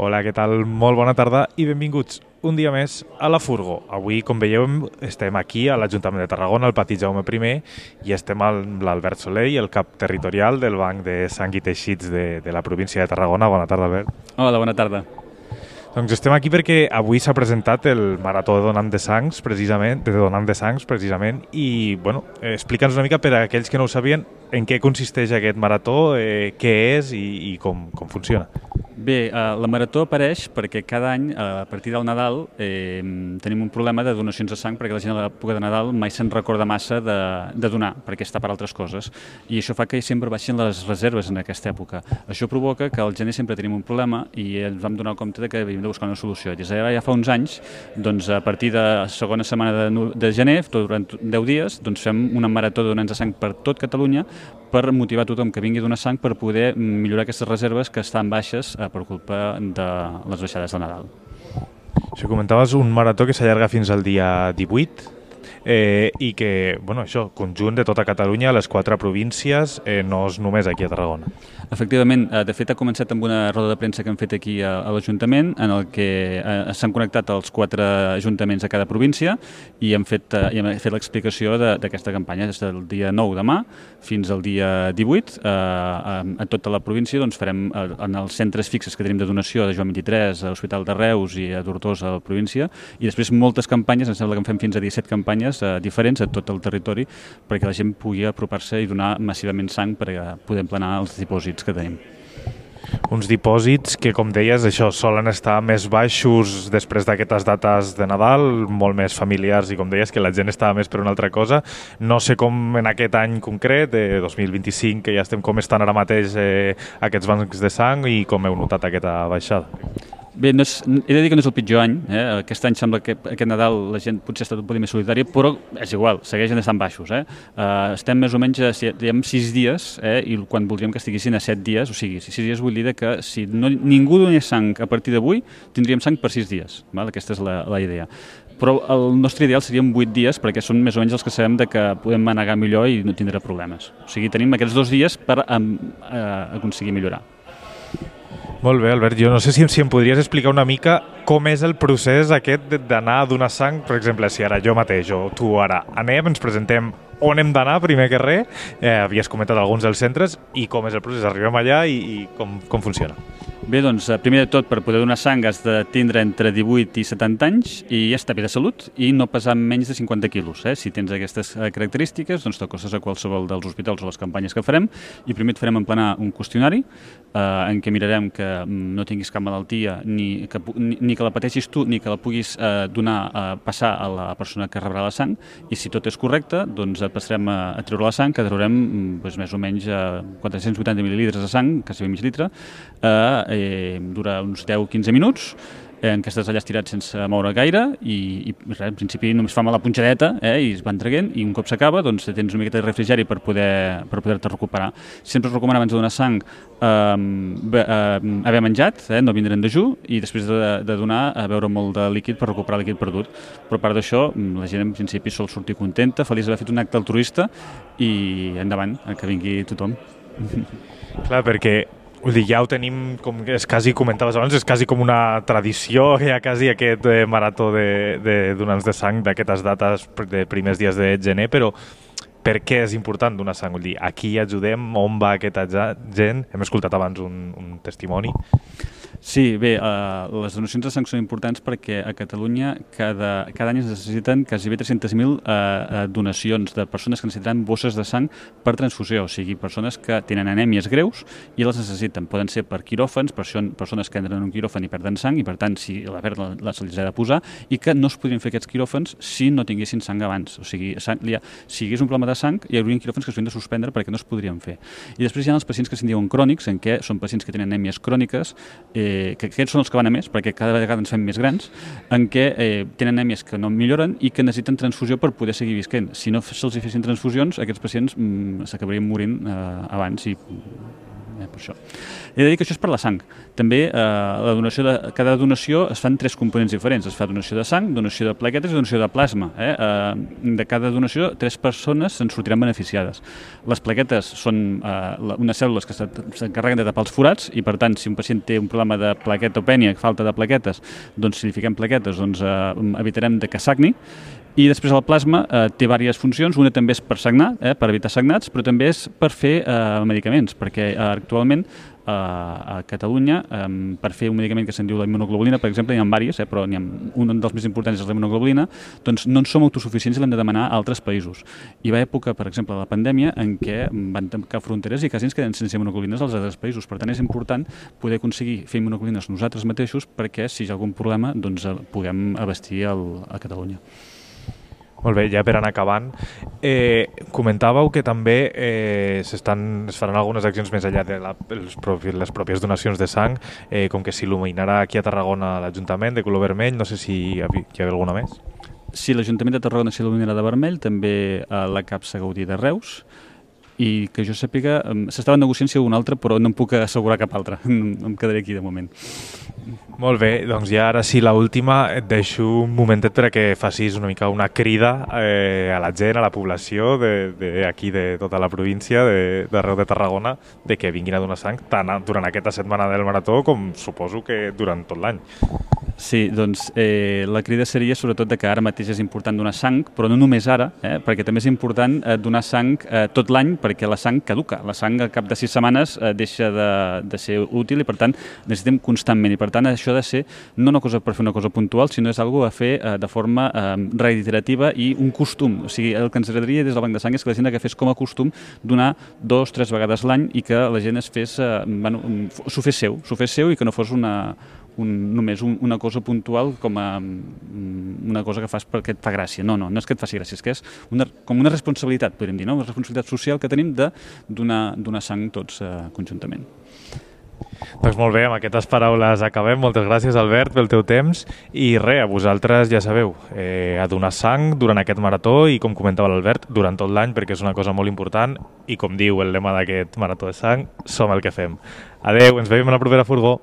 Hola, què tal? Molt bona tarda i benvinguts un dia més a la Furgo. Avui, com veieu, estem aquí a l'Ajuntament de Tarragona, al pati Jaume I, i estem amb l'Albert Soler, el cap territorial del Banc de Sang i Teixits de la província de Tarragona. Bona tarda, Albert. Hola, bona tarda. Doncs estem aquí perquè avui s'ha presentat el Marató de Donant de Sangs, precisament, i bueno, explica'ns una mica per a aquells que no ho sabien en què consisteix aquest marató, què és i com funciona. Bé, la marató apareix perquè cada any, a partir del Nadal, tenim un problema de donacions de sang perquè la gent a l'època de Nadal mai se'n recorda massa de donar, perquè està per altres coses. I això fa que sempre baixin les reserves en aquesta època. Això provoca que al gener sempre tenim un problema i ens vam donar compte que havíem de buscar una solució. Des d'ara ja fa uns anys, doncs, a partir de la segona setmana de gener, durant 10 dies, doncs, fem una marató de donants de sang per tot Catalunya per motivar tothom que vingui a donar sang per poder millorar aquestes reserves que estan baixes per culpa de les baixades de Nadal. Això comentaves, un marató que s'allarga fins al dia 18 i que, bueno, això, conjunt de tota Catalunya, les 4 províncies, no és només aquí a Tarragona. Efectivament, de fet ha començat amb una roda de premsa que hem fet aquí a l'Ajuntament en el que s'han connectat els 4 ajuntaments de cada província i hem fet l'explicació d'aquesta campanya des del dia 9 demà fins al dia 18. A tota la província doncs, farem en els centres fixes que tenim de donació de Joan 23, a l'Hospital de Reus i a Tortosa a la província, i després moltes campanyes, em sembla que en fem fins a 17 campanyes diferents a tot el territori perquè la gent pugui apropar-se i donar massivament sang per poder emplenar els dipòsits que tenim. Uns dipòsits que, com deies, això solen estar més baixos després d'aquestes dates de Nadal, molt més familiars i, com deies, que la gent estava més per una altra cosa. No sé com en aquest any concret, de 2025, que ja estem com estan ara mateix aquests bancs de sang i com heu notat aquesta baixada. Bé, he de dir que no és el pitjor any. Aquest any sembla que aquest Nadal la gent potser ha estat un poc més solidària, però és igual, segueixen estant baixos. Estem més o menys a 6 dies i quan voldríem que estiguessin a 7 dies, o sigui, 6 dies vull dir que si ningú donés sang a partir d'avui, tindríem sang per 6 dies. Aquesta és la idea. Però el nostre ideal serien 8 dies perquè són més o menys els que sabem que podem manegar millor i no tindrà problemes. O sigui, tenim aquests 2 dies per aconseguir millorar. Molt bé, Albert. Jo no sé si em podries explicar una mica com és el procés aquest d'anar a donar sang. Per exemple, si ara jo mateix o tu ara anem, ens presentem on hem d'anar, primer que res. Havies comentat alguns dels centres i com és el procés. Arribem allà i com funciona. Bé, doncs, primer de tot, per poder donar sang has de tindre entre 18 i 70 anys i estar bé de salut i no pesar menys de 50 quilos. Si tens aquestes característiques, doncs t'acostes a qualsevol dels hospitals o les campanyes que farem i primer et farem emplenar un qüestionari en què mirarem que no tinguis cap malaltia ni que la pateixis tu ni que la puguis passar a la persona que rebrà la sang, i si tot és correcte, doncs passarem a treure la sang, que traurem més o menys 480 mil·lilitres de sang, quasi mig litre, dura uns 10-15 minuts en què estàs allà estirat sense moure gaire i res, en principi només fa mal la punxadeta i es van traient, i un cop s'acaba doncs tens una miqueta de refrigeri per poder-te recuperar. Sempre es recomana abans de donar sang haver menjat, no vindre en dejú, i després de donar beure molt de líquid per recuperar el líquid perdut. Però a part d'això, la gent en principi sol sortir contenta, feliç d'haver fet un acte altruista, i endavant, que vingui tothom. Clar, perquè vull dir, ja ho tenim, com és quasi comentaves abans, és quasi com una tradició, ja quasi aquest marató de donants de sang d'aquestes dates de primers dies de gener, però per què és important donar sang? Vull dir, aquí ajudem, on va aquesta gent? Hem escoltat abans un testimoni. Sí, bé, les donacions de sang són importants perquè a Catalunya cada any es necessiten quasi 300.000 donacions de persones que necessitaran bosses de sang per transfusió, o sigui, persones que tenen anèmies greus i les necessiten. Poden ser per quiròfans, persones que entren en un quiròfan i perden sang i, per tant, si la perden, se'ls ha de posar, i que no es podrien fer aquests quiròfans si no tinguessin sang abans. O sigui, si hi hagués un problema de sang, hi hauria quiròfans que s'haurien de suspendre perquè no es podrien fer. I després hi ha els pacients que se'n diuen crònics, en què són pacients que tenen anèmies cròniques, que aquests són els que van a més, perquè cada vegada ens fem més grans, en què tenen anèmies que no milloren i que necessiten transfusió per poder seguir visquent. Si no se'ls fessin transfusions, aquests pacients s'acabarien morint abans i per això. He de dir que això és per la sang. També cada donació es fan 3 components diferents. Es fa donació de sang, donació de plaquetes i donació de plasma. De cada donació, 3 persones se'n sortiran beneficiades. Les plaquetes són unes cèl·lules que s'encarreguen de tapar els forats i, per tant, si un pacient té un problema de plaquetopènia, falta de plaquetes, doncs si li fiquem plaquetes evitarem que sagni. I després el plasma té diverses funcions. Una també és per sagnar, per evitar sagnats, però també és per fer medicaments, perquè actualment a Catalunya, per fer un medicament que se'n diu la immunoglobulina, per exemple, n'hi ha diverses, però un dels més importants és la immunoglobulina, doncs no en som autosuficients i l'hem de demanar a altres països. Hi va època, per exemple, de la pandèmia, en què van tancar fronteres i quasi ens queden sense immunoglobulines als altres països. Per tant, és important poder aconseguir fer immunoglobulines nosaltres mateixos perquè, si hi ha algun problema, doncs puguem abastir a Catalunya. Molt bé, ja per anar acabant, comentàveu que també es faran algunes accions més enllà de les pròpies donacions de sang, com que s'il·luminarà aquí a Tarragona l'Ajuntament de color vermell, no sé si hi ha alguna més. Sí, l'Ajuntament de Tarragona s'il·luminarà de vermell, també la Capsa Gaudí de Reus, i que jo sàpiga, s'estava negociant si hi ha un altre, però no em puc assegurar cap altre, em quedaré aquí de moment. Molt bé, doncs ja ara sí, l'última, et deixo un momentet perquè facis una mica una crida a la gent, a la població d'aquí de tota la província, d'arreu de Tarragona, de que vinguin a donar sang tant durant aquesta setmana del marató com suposo que durant tot l'any. Sí, doncs la crida seria sobretot que ara mateix és important donar sang, però no només ara, perquè també és important donar sang tot l'any, perquè la sang caduca. La sang al cap de 6 setmanes deixa de ser útil i, per tant, necessitem constantment. I, per tant, això ha de ser no una cosa per fer una cosa puntual, sinó és una cosa a fer de forma reiterativa i un costum. O sigui, el que ens agradaria des del Banc de Sang és que la gent agafés com a costum donar 2 o 3 vegades l'any i que la gent s'ho fes seu i que no fos només una cosa puntual com una cosa que fas perquè et fa gràcia. No és que et faci gràcia, és que és com una responsabilitat, podríem dir, una responsabilitat social que tenim de donar sang tots conjuntament. Doncs molt bé, amb aquestes paraules acabem. Moltes gràcies, Albert, pel teu temps. I res, a vosaltres ja sabeu, a donar sang durant aquest marató i, com comentava l'Albert, durant tot l'any, perquè és una cosa molt important i, com diu el lema d'aquest marató de sang, som el que fem. Adeu, ens veiem a la propera furgó.